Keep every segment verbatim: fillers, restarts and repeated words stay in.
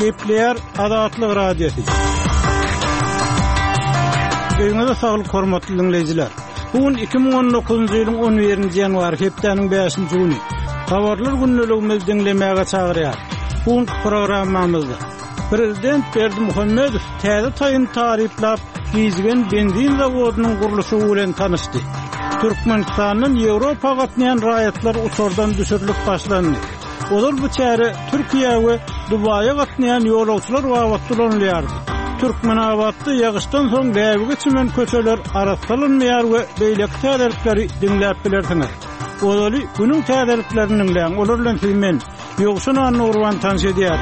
Gepleýär Azatlyk Radiosy. Öýüňize saglyk hormatly dinleýjiler. Bu gün iki müň on dokuzynjy ýylyň on birinji ýanwary hepdäniň bäşinji güni. Habarlar gündeligimizi diňlemäge çagyrýar. Bu günki programmamyzda Prezident Berdimuhamedow täze taýyn taryplap, Gizgen benzin zawodynyň gurluşygy bilen tanyşdy. Türkmenistandan Ýewropa gatnaýan raýatlar uçardan düşürilip başlandy. Ozal bu çäre Türkiýä we Dubaýa gatnaýan ýolagçylar babatda ulanylýardy. Türkmenabatda ýagyşdan soň bäbege çümen köçeler arassalanmaýar we beýleki täzelikleri diňläp bilersiňiz. Ozaly günüň täzeliklerini diňläň, olar bilen siz men, Ýowşan Annagurban tanyş edýär.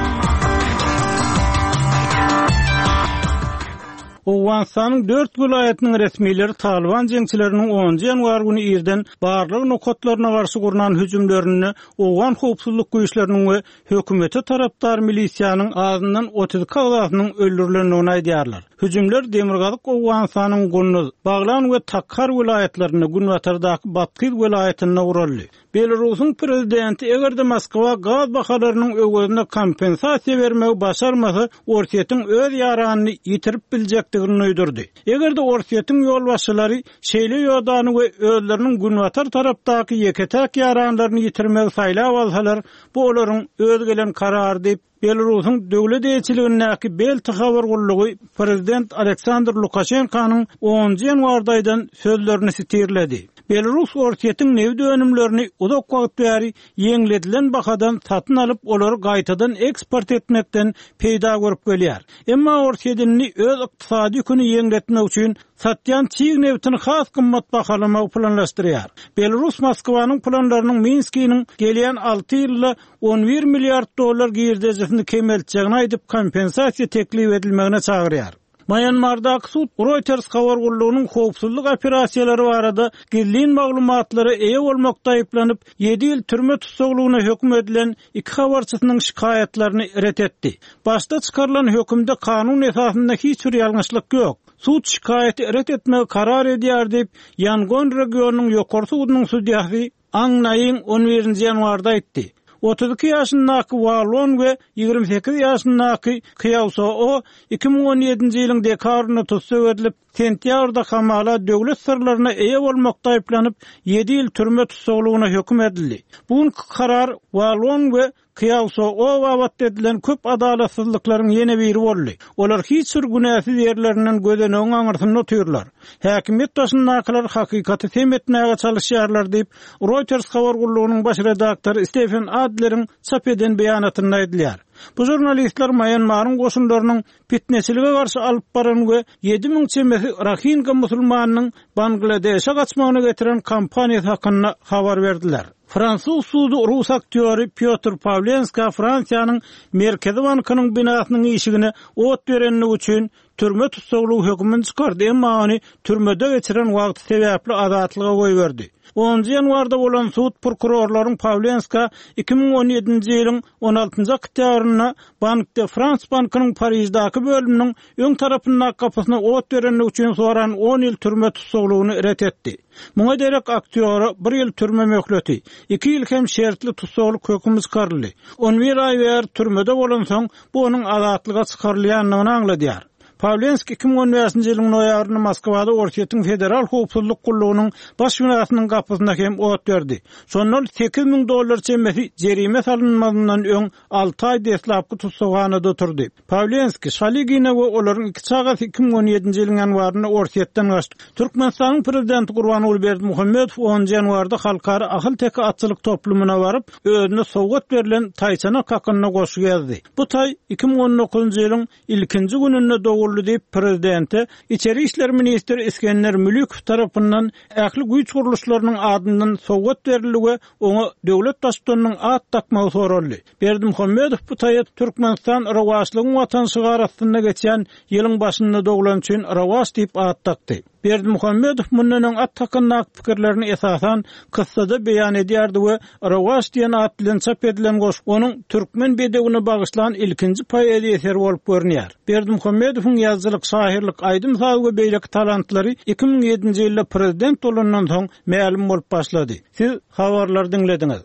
Owganystanyň dört welaýatynyň resmileri Taliban jeňçileriniň onunjy ýanwar güni irden barlag nokatlaryna garşy gurnan hüjümlerinde Owgan howpsuzlyk güýçleriniň we hökümete tarapdar milisiýanyň azyndan otuz iki agzasynyň öldürilendigini aýdýarlar. Hüjümler Demirgazyk Owganystanyň Gunduz, Baglan we Takhar welaýatlarynda, Günbatardaky Bathyz welaýatynda guraldy. Belarusyň prezidenti eger-de Moskwa gaz bahalarynyň öwezine kompensasiýa bermegi başarmasa, Orsýetiň öz ýaranyny ýitirip biljekdigini duýdurdy. Eger-de Orsýetiň ýolbaşçylary şeýle ýodany we özleriniň günbatar tarapdaky ýeke-täk ýaranlaryny ýitirmegi saýlap alsalar, bu olaryň öz gelen karary diýip, Belarusyň döwlet eýeçiligindäki Belta habar gullugy prezident Aleksandr Lukaşenkanyň onunjy ýanwarda aýdan sözlerini sitirledi. Belarus Orsýetiň nebit önümlerini uzak wagt bäri ýeňledilen bahadan satyn alyp, olary gaýtadan eksport etmekden peýda görüp gelýär. Emma Orsýet indi öz ykdysady ýüküni ýeňletmek üçin satýan çig nebitini has gymmat bahalamagy planlaşdyrýar. Belarus Moskwanyň planlarynyň Minskiniň gelýän alty ýylda on bir milliard dollar girdejisini kemeltjegini aýdyp, kompensasiýa teklip edilmegine çagyrýar. Myanmardaky sud Reuters habar gullugynyň howpsuzlyk operasiýalary barada gizlin maglumatlara eýe bolmakda aýyplanyp, ýedi ýyl türme tussaglygyna höküm edilen iki habarçysynyň şikaýatlaryny ret etdi. Başda çykarylan hökümde kanun esasynda hiç bir ýalňyşlyk ýok. Sud şikaýaty ret etmegi karar edýär diýip, Yangon regionynyň ýokary sudunyň sudýasy Aung Naing on birinji ýanwarda aýtdy. Otuz iki ýaşyndaky Wa Lone we ýigrimi sekiz ýaşyndaky Kyaw So O iki müň on ýedinji ýylyň dekabrynda tussag edilip, sentýabrda hamala döwlet syrlaryna eýe bolmakda aýyplanyp, ýedi ýyl türme tussaglygyna höküm edildi. Bu günki karar Wa Lone we Kyaw So O babatda edilen köp adalatsyzlyklaryň ýene biri boldy. Olar hiç bir günäsiz ýerlerinden gözenegiň aňyrsynda otyrlar. Häkimiýet başyndakylar hakykaty sem etmäge çalışýarlar diýip, Reuters habar gullugynyň baş redaktory Stephen Adleriň çap eden beýanatynda aýdylýar. Bu žurnalistler Myanmaryň goşunlarynyň fitneçilige garşy alyp baran we ýedi müň çemesi Rohingya musulmanynyň Bangladeşe gaçmagyna getiren kampaniýasy hakynda habar berdiler. Fransuz sudy rus aktýory Piotr Pawlenska Fransiýanyň Merkezi bankynyň binasynyň işigine ot berenligi üçin türme tussaglygy hökümini çykardy, emma ony türmede geçiren wagty sebäpli azatlyga goýberdi. Onunjy ýanwarda bolan sud prokurorlaryň Pawlenska iki müň on ýedinji ýylyň on altynjy oktýabrynda Bank de France bankynyň Pariždäki bölüminiň öň tarapyndaky gapysyna ot berenligi üçin soran on ýyl türme tussaglygyny ret etdi. Muňa derek aktýora bir ýyl türme möhleti, iki ýyl hem şertli tussaglyk hökümi çykaryldy. On bir aý bäri türmede bolansoň, bu onuň azatlyga çykarylýandygyny aňladýar. Pawlenski iki müň on bäşinji ýylyň noýabrynda Moskwada Orsýetiň Federal Howpsuzlyk gullugynyň baş binasynyň gapysyna hem ot berdi. Şondan sekiz müň dollar çemesi jerime salynmazyndan öň alty aý deslapky tussaghanada oturdy. Pawlenski, Şaligina we olaryň iki çagasy iki müň on ýedinji ýylyň ýanwarynda Orsýetden gaçdy. Türkmenistanyň prezidenti Gurbanguly Berdimuhamedow onunjy ýanwarda Halkara Ahal-Teke atçylyk toplumyna baryp, özüne sowgat berlen taýçanak hakynda goşgy ýazdy. Bu taý iki müň on dokuzynjy ýylyň ilkinji gününde doguldy diýip, prezidente İçeri İşler Ministri Iskender Mülükow tarapyndan ähli güýç gurluşlarynyň adyndan sowgat berildi we oňa döwlet baştutanynyň at dakmagy soraldy. Berdimuhamedow bu taýa Türkmenistan Rowaçlygyň watan şygary astynda geçen ýylyň başynda doglan üçin Rowaç diýip at dakdy. Berdimuhamedow mundan öň at hakyndaky pikirlerini esasan kyssada beýan edýärdi we Rowaç diýen at bilen çap edilen goşgy onuň türkmen bedewine bagyşlan ilkinji poeziýa eseri bolup görünýär. Berdimuhamedowyň ýazyjylyk, şahyrlyk, aýdym-saz we beýleki talantlary iki müň ýedinji ýylda prezident bolandan soň mälim bolup başlady. Siz habarlary diňlediňiz.